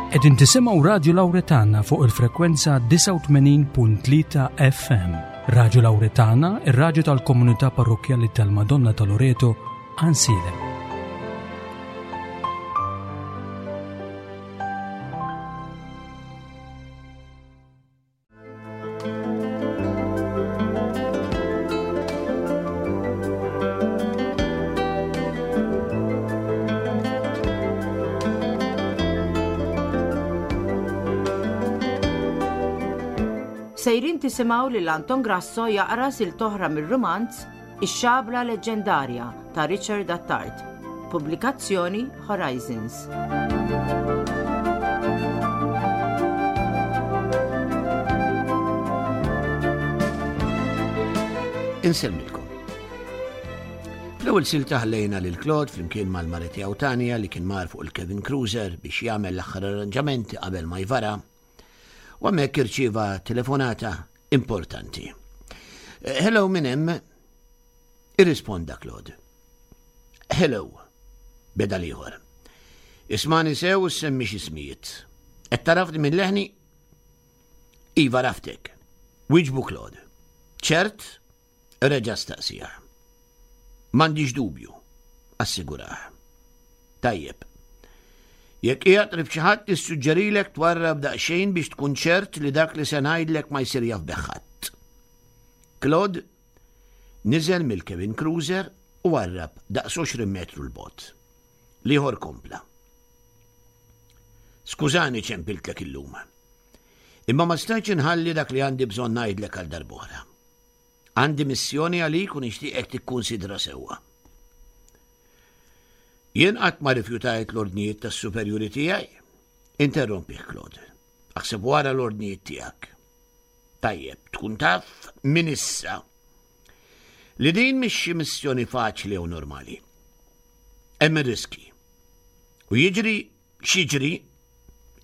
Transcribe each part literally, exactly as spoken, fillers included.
Qegħdin tisimgħu Radju Lawretana fuq il-frekwenza disgħa u tmenin punt tlieta F M. Radju Lawretana, ir-radju tal-Komunità Parrokkjali tal-Madonna ta' Loreto, Għajnsielem. Sejrin tisimgħu lil Anton Grasso jaqra silta oħra mir-rumanz Ix-Xabla Leġġendarja ta' Richard Attard. Pubblikazzjoni Horizons. Insellmilkom. Fl-ewwel silta ħallejna lil Claude flimkien mal-mara tiegħu Tanja li kien mar fuq il-Cabin Cruiser biex jagħmel l-aħħar arranġamenti qabel ma jvara. U hemmhekk irċieva telefonata importanti. Eh, "Hello, min hemm?" Irrisponda Claude. "Hello," beda l-ieħor. "Ismagħni sew u ssemmix ismijiet. Qed tagħrafni minn leħni?" "Iva, għaraftek," wieġbu Claude. "Ċert?" reġa' staqsieh. "M'għandix dubju," assigurah. "Tajjeb. Jekk qiegħed qrib xi ħadd, nissuġġerilek twarrab daqsxejn biex tkun ċert li dak li se ngħidlek ma jsir jaf bih ħadd." Claude niżel mill-Cabin Cruiser u warrab daqs għoxrin metru 'l bogħod. L-ieħor kompla. "Skużani ċempiltlek illum. Imma ma stajtx inħalli dak li għandi bżonn ngħidlek għal darb'oħra. Għandi missjoni għalik u nixtieqek tikkunsidra sewwa." "Jien qatt ma rifjutajt l-ordnijiet tas-superjuri tiegħi," interrompih Claude. "Aħseb wara l-ordnijiet tiegħek." "Tajjeb, tkun taf minn issa li din mhix xi missjoni faċli jew normali. Hemm ir-riski. U jiġri x'jiġri,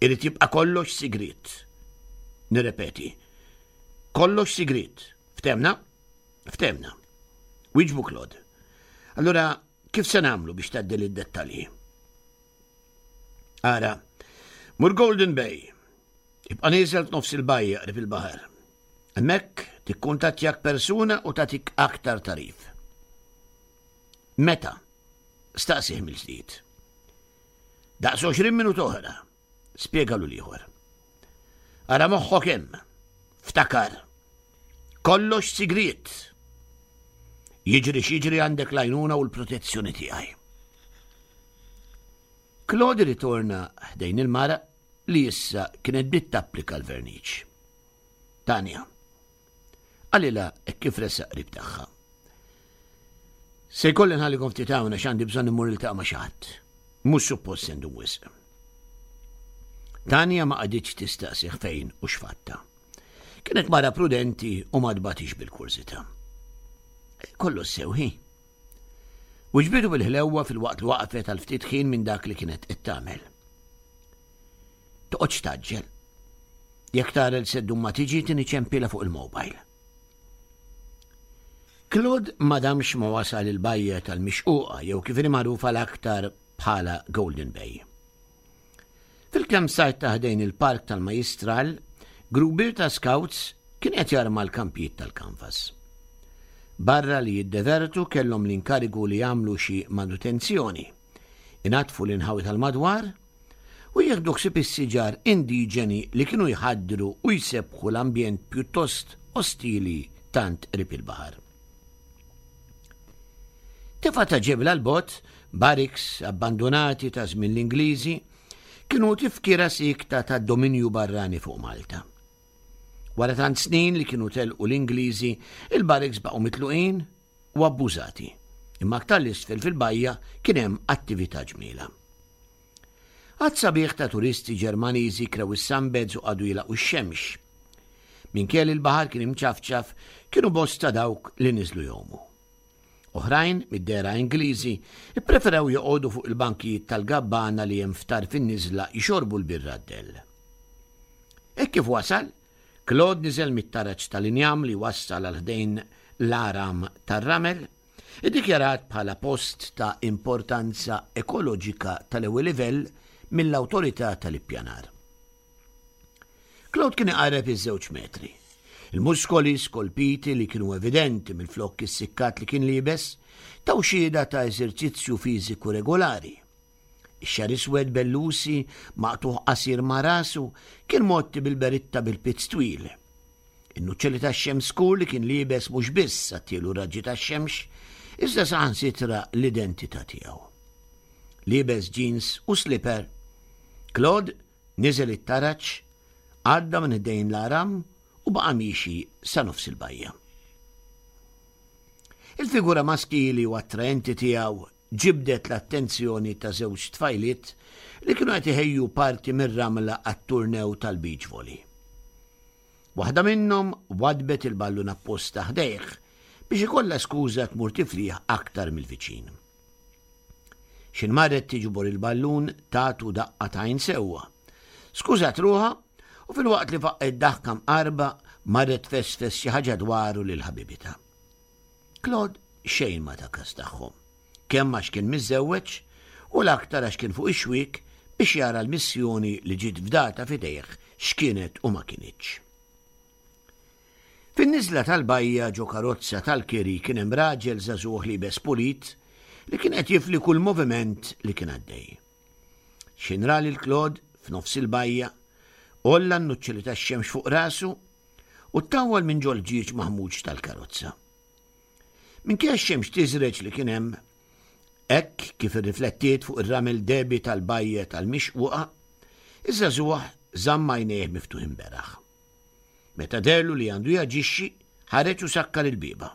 irid jibqa' kollox sigriet. Nirrepeti, kollox sigriet. Ftehmna?" "Ftehmna," wieġbu Claude. "Allura kif se nagħmlu biex tgħaddi d-dettalji?" "Ara, mur Golden Bay. Ibqa' nieżel f'nofs il-bajja qrib il-baħar. Hemmhekk tikkuntattjak persuna u tagħtik aktar tagħrif." "Meta?" staqsieh mill-ġdid. "Daqs għoxrin minuta oħra," spjegalu l-ieħor. "Ara moħħok hemm, ftakar. Kollox sigriet. Jiġri x'jiġri, għandek l-għajnuna u l-protezzjoni tiegħi." Claude ritorna ħdejn il-mara li issa kienet bdiet tapplika l-verniċ. "Tanja," qalilha kif resaq qrib tagħha. "Se jkolli nħallikom ftit hawn għax għandi bżonn immur niltaqa' ma' xi ħadd. Mhux suppost se ndum wisq." Tanja ma qagħditx tistaqsih fejn u x'fatta. Kienet mara prudenti u ma tbatix bil-kurżità. "Kollox sew, ħi," wiġbitu bil-ħlewwa filwaqt li waqfet għal ftit ħin minn dak li kienet qed tagħmel. "Toqgħodx tgħaġġel. Jekk tara li se ddum ma tiġi, tini ċempila fuq il-mobile." Claude ma damx ma wasal il-bajja tal-Mixquqa, jew kif magħrufa l-aktar bħala Golden Bay. Fil-campsite ta' ħdejn il-park tal-Majistral, grupp ta' scouts kien qed jarma l-kampijiet tal-kanvas. Barra li jiddevertu, kellhom l-inkarigu li jagħmlu xi manutenzjoni, inaddfu l-inħawi tal-madwar u jieħdu ħsieb is-siġar indiġeni li kienu jħaddru u jsebbħu l-ambjent pjuttost ostili tant qrib il-baħar. Tefa ta' ġebla 'l bogħod, barracks abbandonati ta' żmien l-Ingliżi kienu tifkira sikta ta' dominju barrani fuq Malta. Wara tant snin li kienu telqu l-Ingliżi, il-barracks baqgħu mitluqin u abbużati. Imma aktar 'l isfel fil-bajja kien hemm attività ġmiela. Għadd sabiħ ta' turisti Ġermaniżi krew is-sunbeds u qagħdu jilagħqu x-xemx. Minkejja li l-baħar kien imċafċaf, kienu bosta dawk li niżlu jgħumu. Oħrajn, mid-dehra Ingliżi, ippreferew joqogħdu fuq il-bankijiet tal-gabbana li hemm f'tarf in-niżla jxorbu l-birra d-dell. Hekk kif wasal, Claude niżel mit-taraġ tal-injam li wassal għal ħdejn l-għaram tar-ramel, iddikjarat bħala post ta' importanza ekoloġika tal-ewwel livell mill-awtorità tal-ippjanar. Claude kien iqarreb iż-żewġ metri. Il-muskoli skolpiti li kienu evidenti mill-flokk issikkat li kien liebes taw xhieda ta' eżerċizzju fiżiku regolari. Ix-xagħar iswed bellusi maqtugħ qasir ma' rasu kien mgħotti bil-beritta bil-pizz twil. In-nuċċali tax-xemx skur li kien liebes mhux biss għattielu raġġi tax-xemx, iżda saħansitra l-identità tiegħu. Liebes jeans u slipper, Claude niżel it-taraġ, għadda minn ħdejn l-għaram u baqa' miexi sa nofs il-bajja. Il-figura maskili u attraenti tiegħu ġibdet l-attenzjoni ta' żewġ tfajliet li kienu qed iħejju parti mir-ramla għat-turnew tal-beach volley. Waħda minnhom wadbet il-ballun apposta ħdejh biex ikollha skuża tmur tiflih aktar mill-viċin. X'ħin marret tiġbor il-ballun tatu daqqa t'għajn sewwa. Skużat ruħha u filwaqt li faqqgħet daħka mqarba marret tfesfes xi ħaġa dwaru lil ħabibitha. Claude xejn ma ta kas tagħhom, kemm għax kien miżżewweġ u l-aktar għax kien fuq ix-xwiek biex jara l-missjoni li ġiet fdata f'idejh x'kienet u ma kinitx. Fin-niżla tal-bajja ġo karozza tal-kiri kien hemm raġel żagħżugħ liebes pulit li kien qed jifli kull moviment li kien għaddej. X'ħin ra lil Claude f'nofs il-bajja, għolla n-nuċċali tax-xemx fuq rasu u ttawwal minn ġol-ġieġ maħmuġ tal-karozza. Minkejja x-xemx tiżreġ li kien hemm, hekk kif irriflettiet fuq ir-ramel dehbi tal-bajja tal-Mixquqa, iż-żagħżugħ żamm għajnejh miftuħin beraħ. Meta deherlu li għandu jaġixxi, ħareġ u sakkar il-bieba.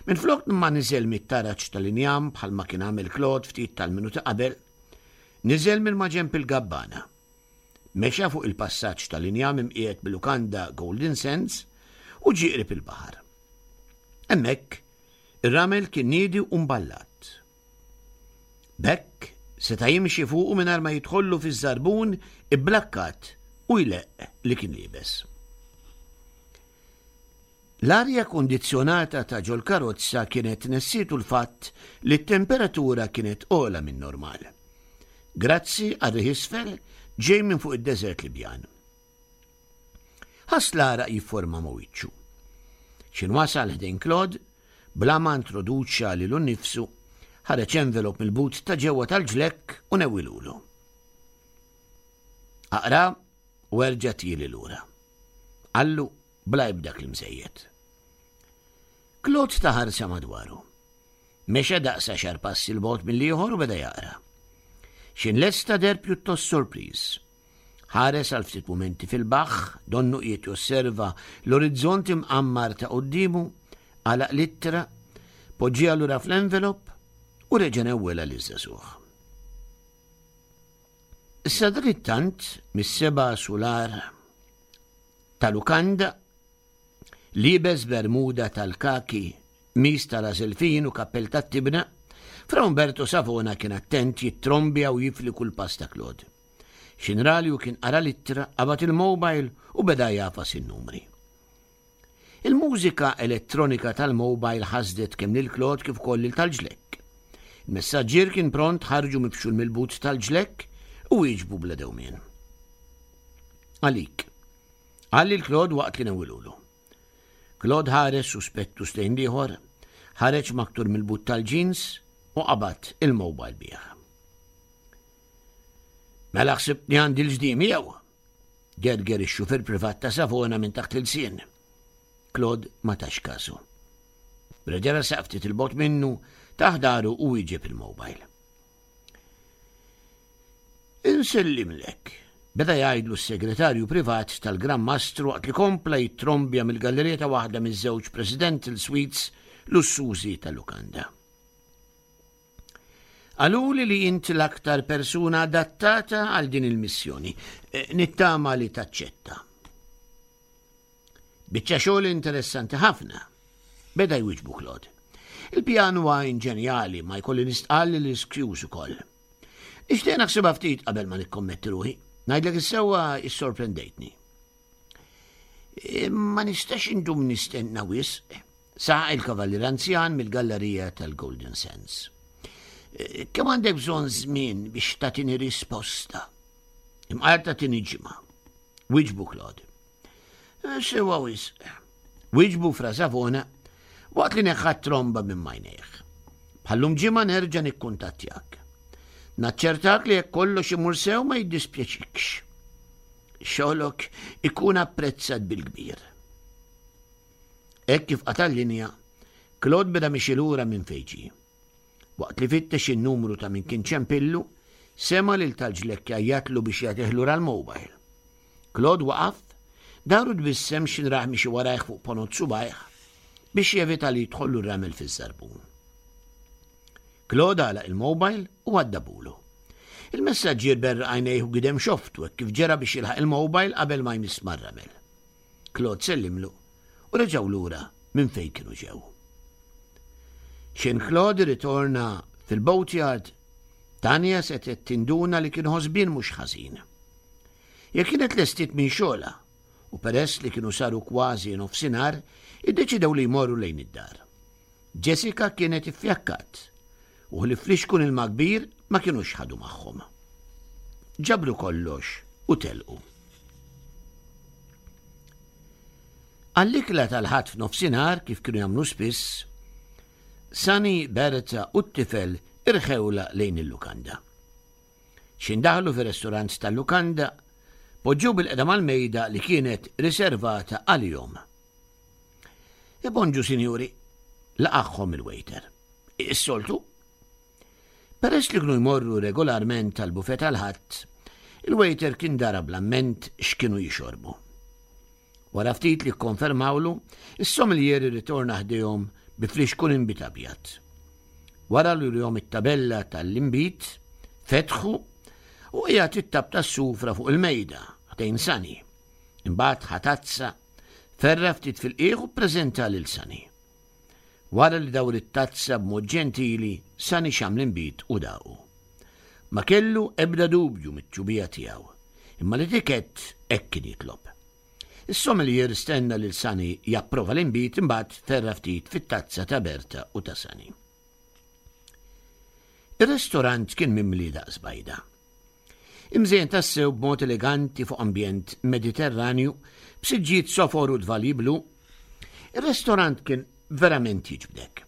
Minflok ma niżel mit-taraġ tal-injam bħalma kien għamel Claude ftit tal-minuti qabel, niżel minn maġenb il-gabbana. Mexa fuq il-passaġġ tal-injam imqiegħed bil-lukanda Golden Sands u ġie qrib il-baħar. Hemmhekk, ir-ramel kien niedi u mballat. B'hekk seta' jimxi fuqu mingħajr ma jidħollu fiż-żarbun ibblakkat u jleqq li kien liebes. L-arja kondizzjonata ta' ġol-karozza kienet nessietu l-fatt li t-temperatura kienet ogħla minn normal. Grazzi għar-riħ isfel ġej minn fuq id-deżert Libjan. Ħass l-għaraq jifforma ma' wiċċu. X'ħin wasal ħdejn Claude, bla ma introduċa lilu nnifsu, ħareġ envelop mill-but ta' ġewwa tal-ġlekk u newwilulu. Aqra u erġa' tieli lura. Qallu bla ebda kliem żejjed. Claude ta ħarsa madwaru. Mexa daqs għaxar passi 'l bogħod mill-ieħor u beda jaqra. X'ħin lesta deher pjuttost sorpriż. Ħares għal ftit mumenti fil-baħħ, donnu qiegħed josserva l-orizzont imqammar ta' quddiemu, għalaq l-ittra, poġġiha lura fl-envelop u reġa' newwelha liż-żagħżugħ. Sadanittant mis-seba' sular ta' lukanda, liebes bermuda tal-kaki, qmis tal-għażel fin u kappell tat-tibna, Fra Umberto Savona kien attent jittrombja u jifli kull pass ta' Claude. X'ħin ra li hu kien qara l-ittra, qabad il-mobile u beda jagħfas in-numri. Il-mużika elettronika tal-mobile ħasdet kemm lil Claude kif ukoll lil tal-ġlekk. Il-messaġġier kien pront ħarġu mifxul mill-but tal-ġlekk u wieġbu bla dewmien. Għalik, qal lil Claude waqt li newwilulu. Claude ħares suspettuż lejn l-ieħor, ħareġ maktur mill-but tal-jeans u qabad il-mobile bih. Mela ħsibtni għandi l-ġdim jew? Gerger ix-xufier privat ta' Savona minn taħt l-ilsien. Claude ma tax kasu. Reġa' resaq ftit 'il bogħod minnu tah dahru u wieġeb il-mobile. Insellimlek, beda jgħidlu s-segretarju privat tal-Gran Mastru waqt li kompla jittrombja mill-gallerija ta' waħda miż-żewġ Presidential Suites lussużi tal-lukanda. Qaluli li int l-aktar persuna adattata għal din il-missjoni. E, nittama li taċċetta. Biċċa xogħol interessanti ħafna. Beda jwiġbu Claude. Il-pjan huwa inġenjali ma jkolli nistqarr li riskjuż ukoll. Nixtieq naħsibha ftit qabel ma nikkommetti ruħi. Ngħidlek is-sewwa issorprendejtni. E, ma nistax indum nistenna wisq, saħaq il-kavallier anzjan mill-gallerija tal-Golden Sands. E, kemm għandek bżonn żmien biex tagħtini risposta? Imqar tagħtini ġimgħa. Wieġbu Claude. Sewa wisq. Wieġbu Fra Savona waqt li neħħa t-tromba minn m'għajnejh. Bħallum ġimgħa nerġa' nikkuntattjak. Naċċertak li jekk kollox imur sew ma jiddispjaċikx. Xogħlok ikun apprezzat bil-kbir. Hekk kif qata' l-linja, Claude beda mixi lura minn fejn ġie. Waqt li fittex in-numru ta' min kien ċempillu, sema' lil tal-ġlekk jgħajjatlu biex jagħtih lura l-mobile. Claude waqaf, dar u tbissem x'ħin rah miexi warajh fuq ponot subgħajh biex jevita li jidħollu r-ramel fiż-żarbun. Claude għalaq il-mobile u waddabulu. Il-messaġġier berraq għajnejh u gidem xoftu hekk kif ġera biex jilħaq il-mobile qabel ma jmiss mar-ramel. Claude sellimlu u reġgħu lura minn fejn kienu ġew. X'ħin Claude ritorna fil-boatyard, Tanja setgħet tinduna li kien ħosbien mhux ħażin. Jekk kienet lestiet minn xogħolha u peress li kienu saru kważi nofsinhar, iddeċidew li jmorru lejn id-dar. Jessica kienet iffjakkat u ħlief flixkun ilma kbir ma kinux ħadu magħhom. Ġabru kollox u telqu. Għall-ikla tal-Ħadd f'nofsinhar kif kienu jagħmlu spiss, Sunny, Berta u t-tifel irħewla lejn il-lukanda. X'ħin daħlu fir-restorant tal-lukanda, poġġew bil-qeda mal-mejda li kienet riservata għalihom. E bonġu, sinjuri, laqagħhom il-waiter. Is-soltu? Peress li kienu jmorru regolarment tal-bufet tal-Ħadd, il-waiter kien dara bl-amment x'kienu jixorbu. Wara ftit li kkonfermawlu, is-sommelier irritorna ħdejhom bi flixkun inbid abjad. Wara li urihom it-tabella tal-inbid, fetħu u qiegħed it-tab tas-sufra fuq il-mejda ħdejn Sunny. Imbagħad ħa tazza, ferra ftit fil-qiegħ u ppreżenta lil Sunny. Wara li dawr it-tazza b'mod ġentili, Sunny xam l-inbid u daqu. Ma kellu ebda dubju mit-tjubija tiegħu, imma l-etikett hekk kien jitlob. Is-sommelier stenna lil Sunny japprova l-inbid imbagħad ferra ftit fit-tazza ta' Berta u ta' Sunny. Ir-restorant kien mimli daqs bajda. Imżejjen tassew b'mod eleganti fuq ambjent Mediterranju b'siġġijiet sofor u dvali blu, ir-restorant kien verament jiġbdek.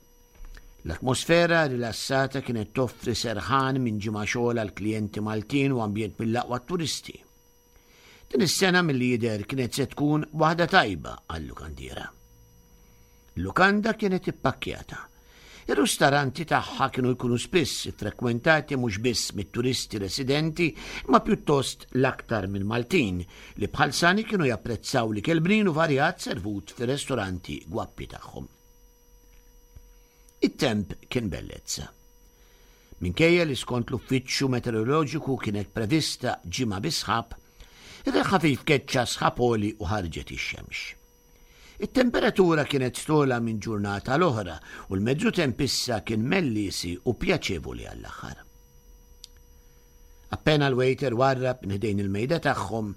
L-atmosfera rilassata kienet toffri serħan minn ġimgħa xogħol għal klijenti Maltin u ambjent mill-aqwa turisti. Din is-sena milli jidher kienet se tkun waħda tajba għal-lukandiera. Il-lukanda kienet ippakkjata. Ir-ristoranti tagħha kienu jkunu spiss iffrekwentati mhux biss mit-turisti residenti, imma pjuttost l-aktar minn Maltin li bħal Sani kienu japprezzaw l-ikel bnin u varjat servut fir-ristoranti gwappi tagħhom. It-temp kien bellezza. Minkejja li skont l-uffiċċju meteoroloġiku kienet prevista ġimgħa bi sħab, ir-riħ ħafif keċċa sħab għoli u ħarġet ix-xemx. It-temperatura kienet togħla minn ġurnata l-oħra u l-mezzu temp issa kien mellisi u pjaċevoli għall-aħħar. Appena l-waiter warrab minn ħdejn il-mejda tagħhom,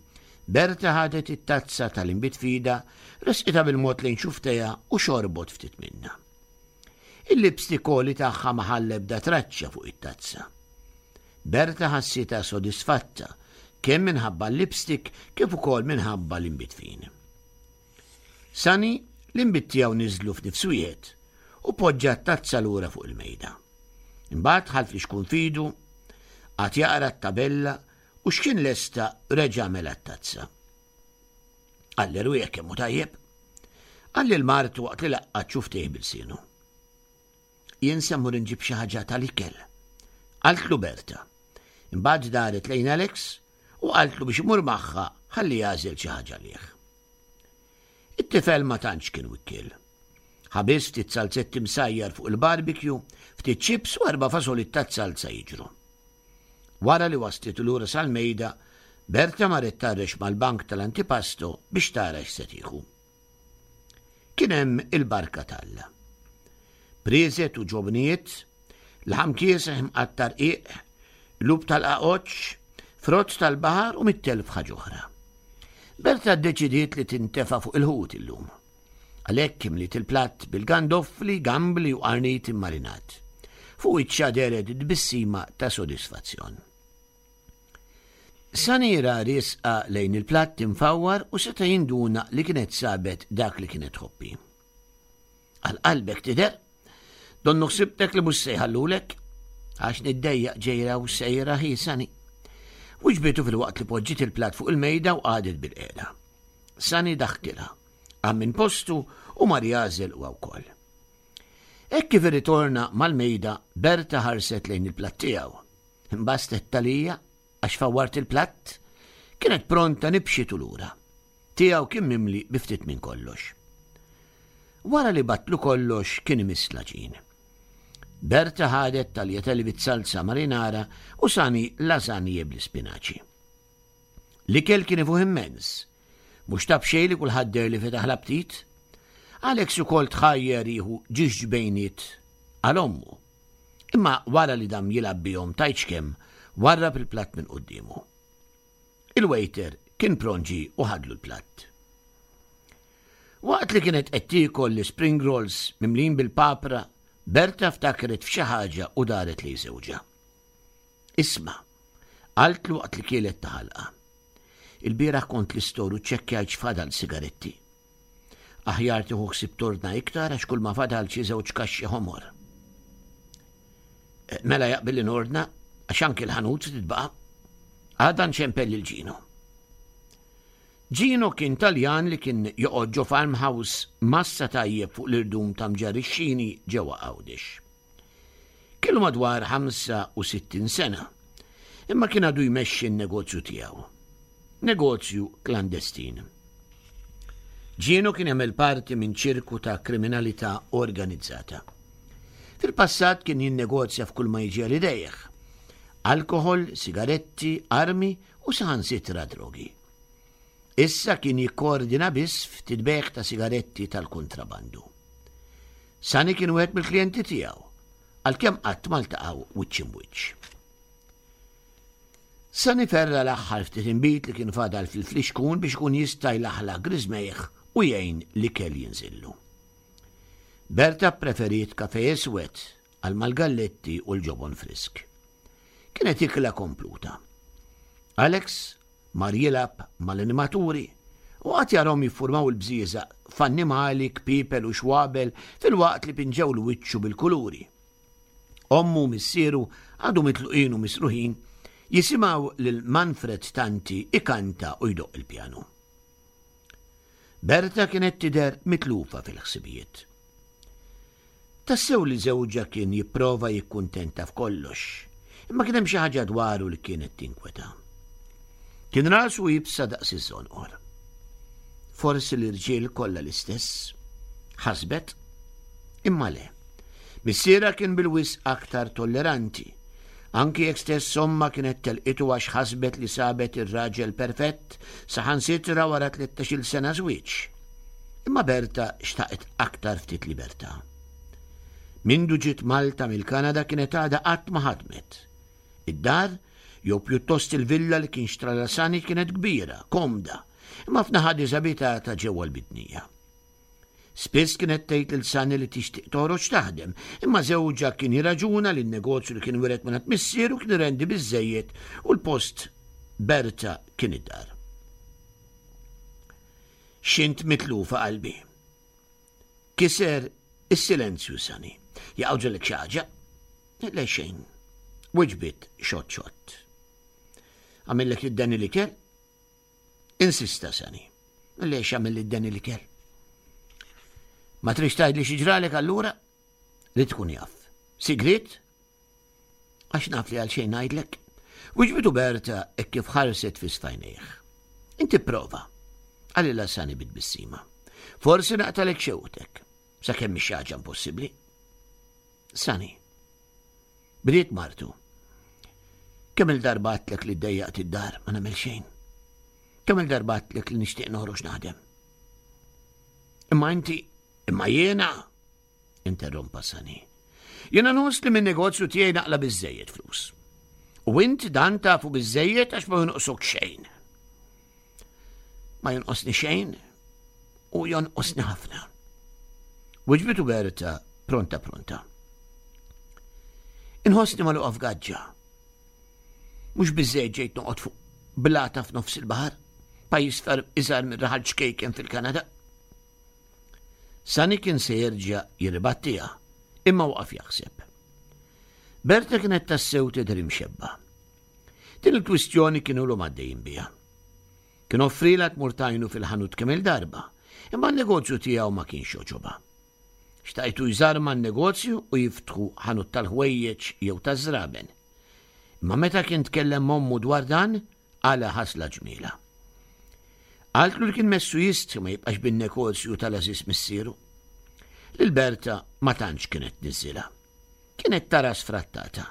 Berta ħadet it-tazza tal-inbid f'idha, resqitha bil-mod lejn xuftejha u xorbot ftit minnha. Il-lipstick għoli tagħha ma ħalla ebda traċċa fuq it-tazza. Berta ħassitha sodisfatta kemm minħabba l-lipstick kif ukoll minħabba l-inbid fin. Sunny l-inbid tiegħu niżlu f'nifs wieħed u poġġa t-tazza lura fuq il-mejda. Imbagħad ħa l-flixkun f'idu, qagħad jaqra t-tabella u x'kien lesta reġa' mela t-tazza. Għall-erwieħ kemm hu tajjeb. Qal lil martu waqt li laqqat xuftejh bilsienu. Jien se mmur inġib xi ħaġa tal-ikel. Qaltlu Berta. Imbagħad daret lejn Alex u qaltlu biex imur magħha ħalli jagħżel xi ħaġa għalih. It-tifel ma tantx kien wikkiel. Ħa biss ftit salzetti msajjar fuq il-barbecue, ftit chips u erba' fażolit taz-zalza jiġru. Wara li waslitu lura sal-mejda, Berta marret tarrex mal-bank tal-antipasto biex tara x'se tieħu. Kien hemm il-barka t'Alla. Prieżet u ġobnijiet, laħam kieseħ imqatta' rqiq, qlub tal-qaqoċċ, frott tal-baħar u mit-telf ħaġa oħra. Berta ddeċidiet li tintefa' fuq il-ħut illum. Għalhekk imliet il-platt bil-gandofli, gambli u qarnit immarinat. Fuq wiċċha dehret tbissima ta' sodisfazzjon. Sani ra riesqa lejn il-platt imfawwar u seta' jinduna li kienet sabet dak li kienet tħobbi. Għal qalbek tidher? Donnu ħsibtek li mhux se jħallulek? Għax niddejjaq ġejra u sejra hi Sani. Wiġbitu filwaqt li poġġiet il-platt fuq il-mejda u qagħdet bilqiegħda. Sani daħkilha, qam minn postu u mar jagħżel huwa wkoll. Hekk kif irritorna mal-mejda, Berta ħarset lejn il-platt tiegħu. Imbastet talija għax fawwart il-platt, kienet pronta nibxitu lura. Tiegħu kien mimli bi ftit minn kollox. Wara li batlu kollox kien imiss l-għaġin. Berta ħadet taljatelli bit-salsa marinara u Sani lażanje bl-ispinaċi. L-ikel kien ifuħ immens. Mhux ta' b'xejn li kulħadd deher li fetaħ l-aptit. Alex ukoll tħajjer jieħu ġiex ġbejniet għal ommu. Imma wara li dam jilgħab bihom tgħidx kemm, warrab il-platt minn quddiemu. Il-waiter kien pront ġie u ħadlu l-platt. Waqt li kienet qed tiekol l-spring rolls mimlin bil-papra, Berta ftakret f'xi ħaġa u daret lejn żewġha. Isma', qaltlu waqt li kielet ta' ħalqa. Il-bieraħ kont l-istor u ċċekkjajt x'fadal sigaretti. Aħjar tieħu ħsieb tordna iktar għax kull ma fadal xi żewġ kaxxi ħomor. Mela jaqbil li nordna għax anki l-ħanut se titbaqa'. Għada nċempel lil Ġino. Ġino kien Taljan li kien joqgħod ġo farmhouse massa tajjeb fuq l-irdum ta' Mġarr ix-Xini ġewwa Għawdex. Kellu madwar ħamsa u sittin sena, imma kien għadu jmexxi n-negozju tiegħu. Negozju klandestin. Ġino kien jagħmel parti minn ċirku ta' kriminalità organizzata. Fil-passat kien jinnegozja f'kull ma jiġi għal idejh. Alkohol, sigaretti, armi u saħansitra drogi. Issa kien jikkoordina biss ftit bejgħ ta' sigaretti tal-kuntrabandu. Sani kien wieħed mill-klijenti tiegħu, għalkemm qatt ma ltaqgħu wiċċ imwiċċ. Sani ferra l-aħħar ftit inbid li kien fadal fil-flixkun biex ikun jista' jlaħlaħ griżmejh u jgħin l-ikel jinżillu. Berta ppreferiet kafe iswed għal mal-galletti u l-ġobon frisk. Kienet ikla kompluta. Alex mar jilgħab mal-animaturi u qagħad jarahom jiffurmaw il-bżieżaq f'annimali, kpiepel u xwabel filwaqt li pinġewlu wiċċu bil-kuluri. Ommu u missieru għadu mitluqin u misruħin jisimgħu lil Manfred Tanti ikanta u jdoqq il-pjanu. Berta kienet tidher mitlufa fil-ħsibijiet. Tassew li żewġha kien jipprova jikkuntenta f'kollox, imma kien hemm xi ħaġa dwaru li kienet tinkweta. Kien rasu iebsa daqs iż-żonqor. Forsi l-irġiel kollha l-istess, ħasbet, imma le. Missierha kien bil-wisq aktar tolleranti, anki jekk stess ommha kienet telqitu għax ħasbet li sabet ir-raġel perfett saħansitra wara tlettax-il sena żwieġ. Imma Berta xtaqet aktar ftit libertà. Mindu ġiet Malta mill-Kanada kienet għadha qatt ma ħadmet. Id-dar, jew pjuttost il-villa li kien xtralha Sani kienet kbira, komda, imma f'naħa diżabitata ġewwa l-Bidnija. Spiss kienet tgħid lil Sani li tixtieq toħroġ taħdem, imma żewġha kien jirraġuna li n-negozju li kien wiret mingħand missieru kien irendi biżżejjed u l-post Berta kien id-dar. X'int mitlufa qalbi. Kiser is-silenzju Sani. Jaqgħu xi ħaġa? Le xejn. Wiġbit xott xott. Għamillek id-deni l-ikel? Insista Sani. Le x'għamil id-deni l-ikel? Ma trix tgħidli xi ġralek allura? Li tkun jaf. Sigriet? Għax naf li għal xejn ngħidlek. Wiġbitu Berta hekk kif ħarset fi sfajnejh. Inti prova. Qalilha Sani bit-tbissima. Forsi naqtalek xewqtek. Sakemm mhix xi ħaġa impossibbli. Sani. Bdiet martu. Kemm il-darba għedtlek li ddejjaqt id-dar ma nagħmel xejn. Kemm il-darba għedtlek li nixtieq noħroġ naħdem. Imma inti, imma jiena, interrompa Sani. Jiena nħoss li min-negozju tiegħi naqla' biżżejjed flus. U int dan tafu biżżejjed għax ma jonqsok xejn. Ma jonqosni xejn u jonqosni ħafna. Wiġbitu Berta pronta pronta. Inħossni magħluqa f'gaġġa. Mhux biżżejjed ġejt noqgħod fuq Blata f'nofs il-baħar, pajjiż ferm iżgħar minn raħal ċkejken fil-Kanada. Sani kien se jerġa' jirribattiha, imma waqaf jaħseb. Berta kienet tassew tidher imxebba. Din il-kwistjoni kienu ilhom għaddejjin biha. Kien offrielha tmur tgħinu fil-ħanut kemm il-darba, imma n-negozju tiegħu ma kienx jogħġobha. Xtaqtu jżarma n-negozju u jiftħu ħanut tal-ħwejjeġ jew taż-żraben. Imma meta kien tkellem m'ommu dwar dan, qala' ħasla ġmiela. Qaltlu li kien messu jistħi ma jibqax bin-negozju tal-għażiż missieru. Lil Berta ma tantx kienet tniżżilha. Kienet tara sfrattata.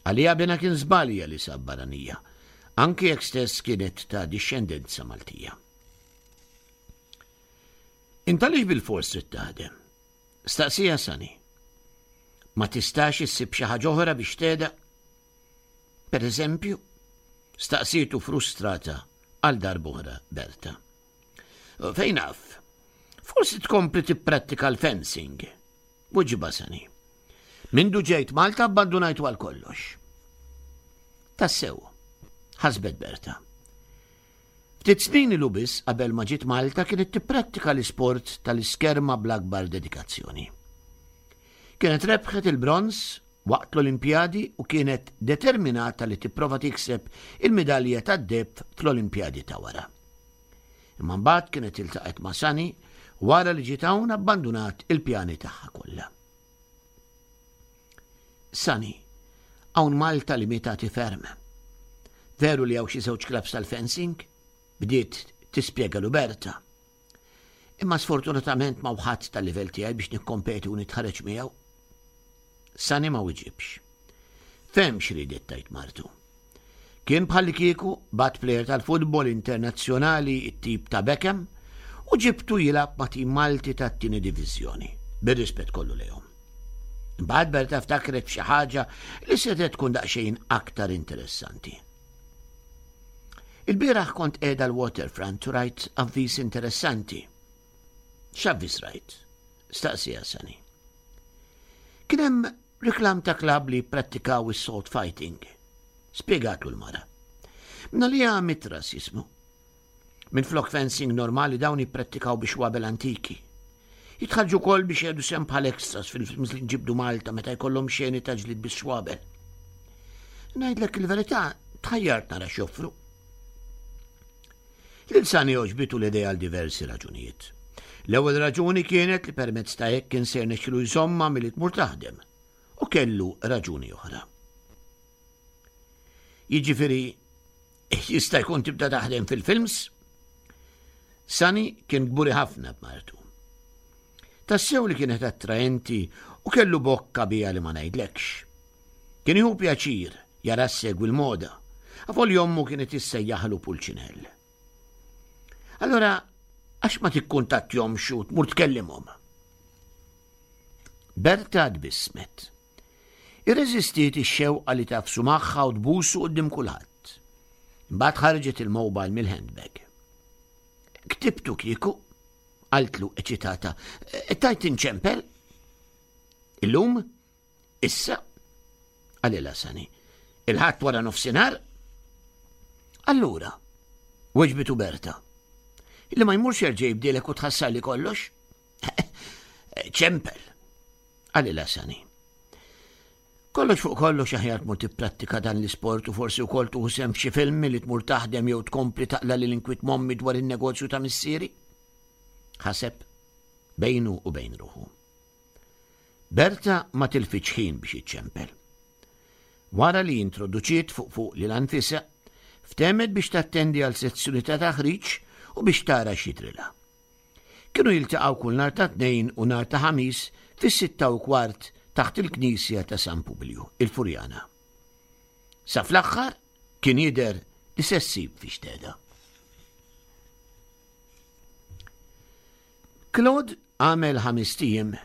Għaliha binha kien żbalja li sab barranija, anki jekk stess kienet ta' dixxendenza Maltija. Int għaliex bilfors trid taħdem? Staqsieha Sani. Ma tistax issib xi ħaġa oħra biex tgħeda? Per eżempju, staqsietu frustrata għal darb'oħra Berta. Fejn naf? Forsi tkompli tipprattika l-fencing. Weġibha Sani. Mindu ġejt Malta abbandunajtu għal kollox. Tassew, ħasbet Berta. Ftit snin ilu biss qabel ma ġiet Malta kienet tipprattika l-isport tal-iskerma bl-akbar dedikazzjoni. Kienet rebħet il-bronż waqt l-Olimpjadi u kienet determinata li tipprova tikseb il-midalja tad-deheb fl-Olimpjadi ta' wara. Imma mbagħad kienet iltaqgħet ma' Sani wara li ġiet hawn abbandunat il-pjani tagħha kollha. Sani, hawn Malta limitati ferm. Veru li hawn xi żewġ clubs tal-fencing? Bdiet tispjegalu Berta. Imma sfortunatament m'hawn ħadd tal-livell tiegħi biex nikkompeti u nitħarreġ miegħu. Sani ma wiġibx. Fehem x'riedet tgħid martu. Kien bħalli kieku bgħatt plejer tal-futbol internazzjonali it-tip ta' Beckham u ġibtu jilgħab ma' tim Malti tat-tieni diviżjoni, bir-rispett kollu lejhom. Imbagħad Berta ftakret f'xi ħaġa li setgħet tkun daqsxejn aktar interessanti. Il-bieraħ kont qiegħda l-waterfront u rajt avviż interessanti. X'avviż rajt? Staqsieha Sani. Kien hemm reklam ta' klab li prattikaw is-sword fighting. Spjegatlu l-mara. Mingħalija Mitras jismu. Minn flok fencing normali dawn jipprattikaw bix-xwabel antiki. Jitħarrġu wkoll biex jieħdu sehem bħal extras fil-films li nġibdu Malta meta jkollhom xeni ta' ġlied bix-xwabel. Ngħidlek il-verità, tħajjart nara x'joffru. Lil Sani għoġbitu l-idea għal diversi raġunijiet. L-ewwel raġuni kienet li permezz ta' hekk kien se jirnexxilu jżommha milli tmur taħdem u kellu raġuni oħra. Jiġifieri jista' jkun tibda taħdem fil-films? Sani kien kburi ħafna b'martu. Tassew li kienet attraenti u kellu bokka biha li ma ngħidlekx. Kien jieħu pjaċir jara ssegwi l-moda, avolja ommu kienet issejjaħlu Pulċinell. Allora, għax ma tikkuntattjahomx u tmur tkellimhom? Berta tbissmet. Irreżistiet ix-xewqa li tagħfsu magħha u tbusu quddiem kulħadd. Imbagħad ħarġet il-mobile mill-handbag. Ktibtu kieku, qaltlu eċitata, tgħid inċempel? Illum? Issa? Qalilha Sani. Il-Ħadd wara nofsinhar? Allura, weġbitu Berta. Illi ma jmurx jerġa' jibdielek u tħassarli kollox? Ċempel, qalilha Sani. Kollox fuq kollox aħjar tmur tipprattika dan l-isport u forsi wkoll tieħu sehem f'xi film li tmur taħdem jew tkompli taqla' l-inkwiet m'ommi dwar in-negozju ta' missieri. Ħaseb bejnu u bejn ruħu. Berta ma tilfitx ħin biex iċċempel. Wara li introduċiet fuq fuq lilha nfisha, ftehmet biex tattendi għal sezzjoni ta' taħriġ u biex tara x'jidrilha. Kienu jiltaqgħu kull nhar ta' Tnejn u nhar ta' Ħamis fis-sitta u kwart taħt il-Knisja ta' San Publiju, il-Furjana. Sa fl-aħħar kien jidher li se ssib fiex tgħeda. Claude għamel ħames ijiem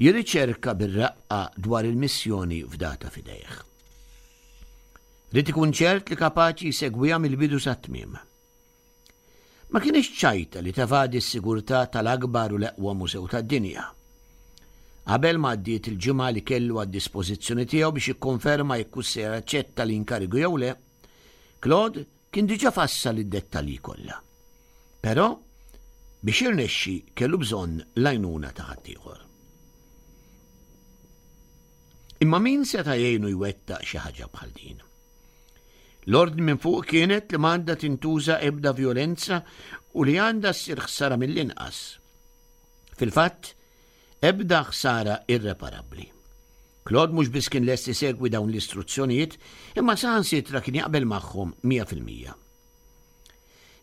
jirriċerka bir-raqqa dwar il-missjoni fdata f'idejh. Ried ikun ċert li kapaċi jsegwiha mill-bidu sat-tmiem. Ma kienx ċajta li tevadi s-sigurtà tal-akbar u l-eqwa mużew tad-dinja. Qabel ma għaddiet il-ġimgħa li kellu għad-dispożizzjoni tiegħu biex jikkonferma jekk se jaċċetta l-inkarigu jew le, Claude Kien diġà fassal id-dettalji kollha. Però biex jirnexxi kellu bżonn l-għajnuna ta' ħaddieħor. Imma min seta' jgħinu jwettaq xi ħaġa bħal din? L-ordni minn fuq kienet li m'għandha tintuża ebda vjolenza u li għandha ssir ħsara mill-inqas. Fil-fatt, ebda ħsara irreparabbli. Claude mhux biss kien lest isegwi dawn l-istruzzjonijiet, imma saħansitra kien jaqbel magħhom mija fil-mija.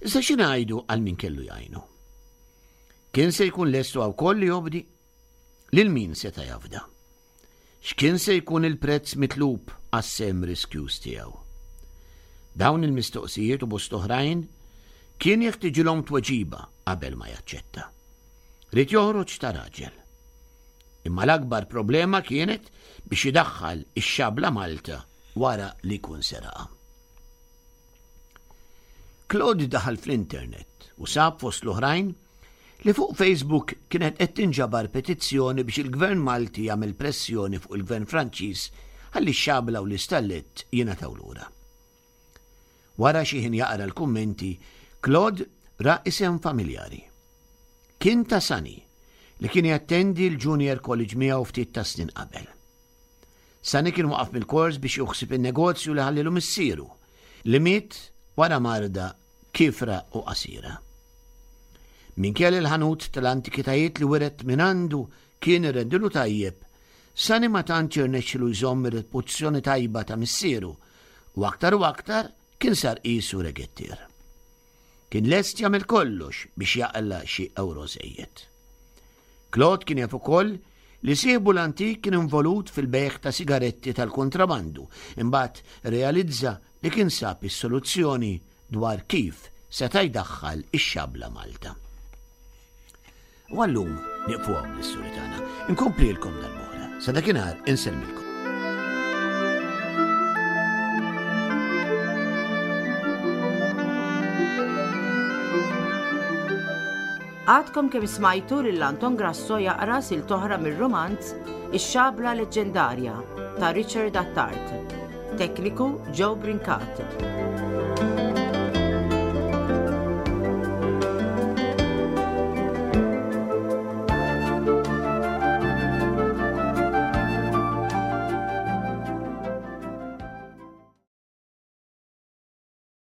Iżda xi ngħidu għal min kellu jgħinu? Kien se jkun lest huwa wkoll li jobdi? Lil min seta' jafda? X'kien se jkun il-prezz mitlub għas-sehem riskjuż tiegħu? Dawn il-mistoqsijiet u bosta oħrajn kien jeħtiġilhom tweġiba qabel ma jaċċetta. Ried joħroġ ta' raġel. Imma l-akbar problema kienet biex idaħħal ix-xabla Malta wara li jkun seraqha. Claude daħal fl-internet u sab fost l-oħrajn li fuq Facebook kienet qed tinġabar petizzjoni biex il-Gvern Malti jagħmel pressjoni fuq il-Gvern Franċiż ħalli x-xabla u l-istallett jingħataw lura. Wara xi ħin jaqra l-kummenti, Claude ra isem familjari. Kien ta' Sunny, li kien jattendi l-Junior College miegħu ftit ta' snin qabel. Sunny kien waqaf mill-kors biex juħsib in-negozju li ħallilu missieru, li miet wara marda kifra u qasira. Minkejja li l-ħanut tal-antikitajiet li wiret minn għandu kien irrendilu tajjeb, Sunny ma tantx irnexxilu jżomm ir-reputazzjoni tajba ta' missieru u aktar u aktar kien sar qisu regettier. Kien lest jagħmel kollox biex jaqla' xi ewro żejjed. Claude kien jaf ukoll li sieħbu l-antik kien involut fil-bejgħ ta' sigaretti tal-kontrabandu, imbagħad realizza li kien sab is-soluzzjoni dwar kif seta' jdaħħal ix-xabla Malta. U għallum nieqfu hawn bl-istorja tagħna. Inkomplilkom darb'oħra. Sa dakinhar insellmilkom. Għadkom kemm smajtu lil Anton Grasso jaqra silta oħra mir-rumanz Ix-Xabla Leġġendarja ta' Richard Attard. Tekniku Joe Brincat.